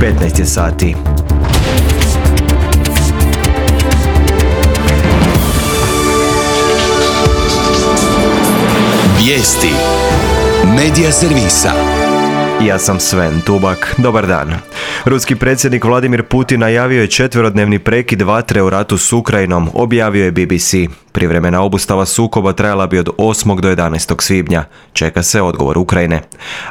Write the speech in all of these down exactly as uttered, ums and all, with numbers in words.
petnaest je sati. Vijesti Medija servisa. Ja sam Sven Tubak. Dobar dan. Ruski predsjednik Vladimir Putin najavio je četverodnevni prekid vatre u ratu s Ukrajinom, objavio je B B C. Privremena obustava sukoba trajala bi od osmog do jedanaestog svibnja. Čeka se odgovor Ukrajine.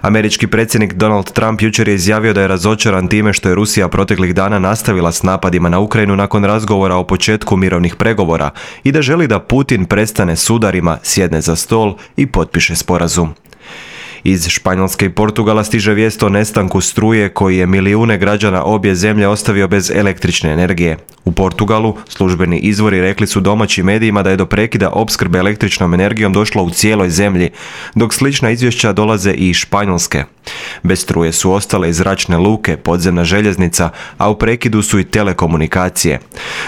Američki predsjednik Donald Trump jučer je izjavio da je razočaran time što je Rusija proteklih dana nastavila s napadima na Ukrajinu nakon razgovora o početku mirovnih pregovora i da želi da Putin prestane s udarima, sjedne za stol i potpiše sporazum. Iz Španjolske i Portugala stiže vijest o nestanku struje koji je milijune građana obje zemlje ostavio bez električne energije. U Portugalu službeni izvori rekli su domaćim medijima da je do prekida opskrbe električnom energijom došlo u cijeloj zemlji, dok slična izvješća dolaze i iz Španjolske. Bez struje su ostale i zračne luke, podzemna željeznica, a u prekidu su i telekomunikacije.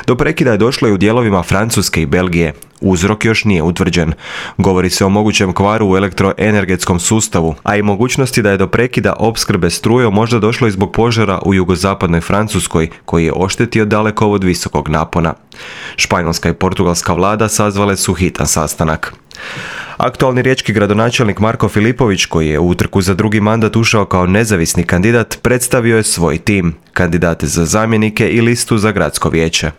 Do prekida je došlo i u dijelovima Francuske i Belgije. Uzrok još nije utvrđen. Govori se o mogućem kvaru u elektroenergetskom sustavu, a i mogućnosti da je do prekida opskrbe strujom možda došlo i zbog požara u jugozapadnoj Francuskoj, koji je oštetio dalekovod visokog napona. Španjolska i portugalska vlada sazvale su hitan sastanak. Aktualni riječki gradonačelnik Marko Filipović, koji je u utrku za drugi mandat ušao kao nezavisni kandidat, predstavio je svoj tim, kandidate za zamjenike i listu za gradsko vijeće.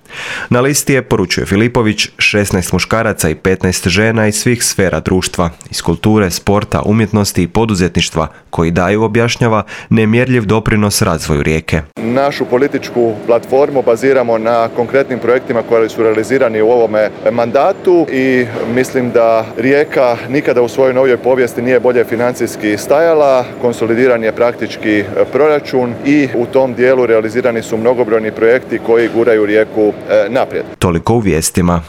Na listi je, poručuje Filipović, šesnaest muškaraca i petnaest žena iz svih sfera društva, iz kulture, sporta, umjetnosti i poduzetništva, koji daju, objašnjava, nemjerljiv doprinos razvoju Rijeke. Našu političku platformu baziramo na konkretnim projektima koji su realizirani u ovome mandatu i mislim da Rijeka nikada u svojoj novijoj povijesti nije bolje financijski stajala, konsolidiran je praktički proračun i u tom dijelu realizirani su mnogobrojni projekti koji guraju Rijeku naprijed. Toliko u vijestima.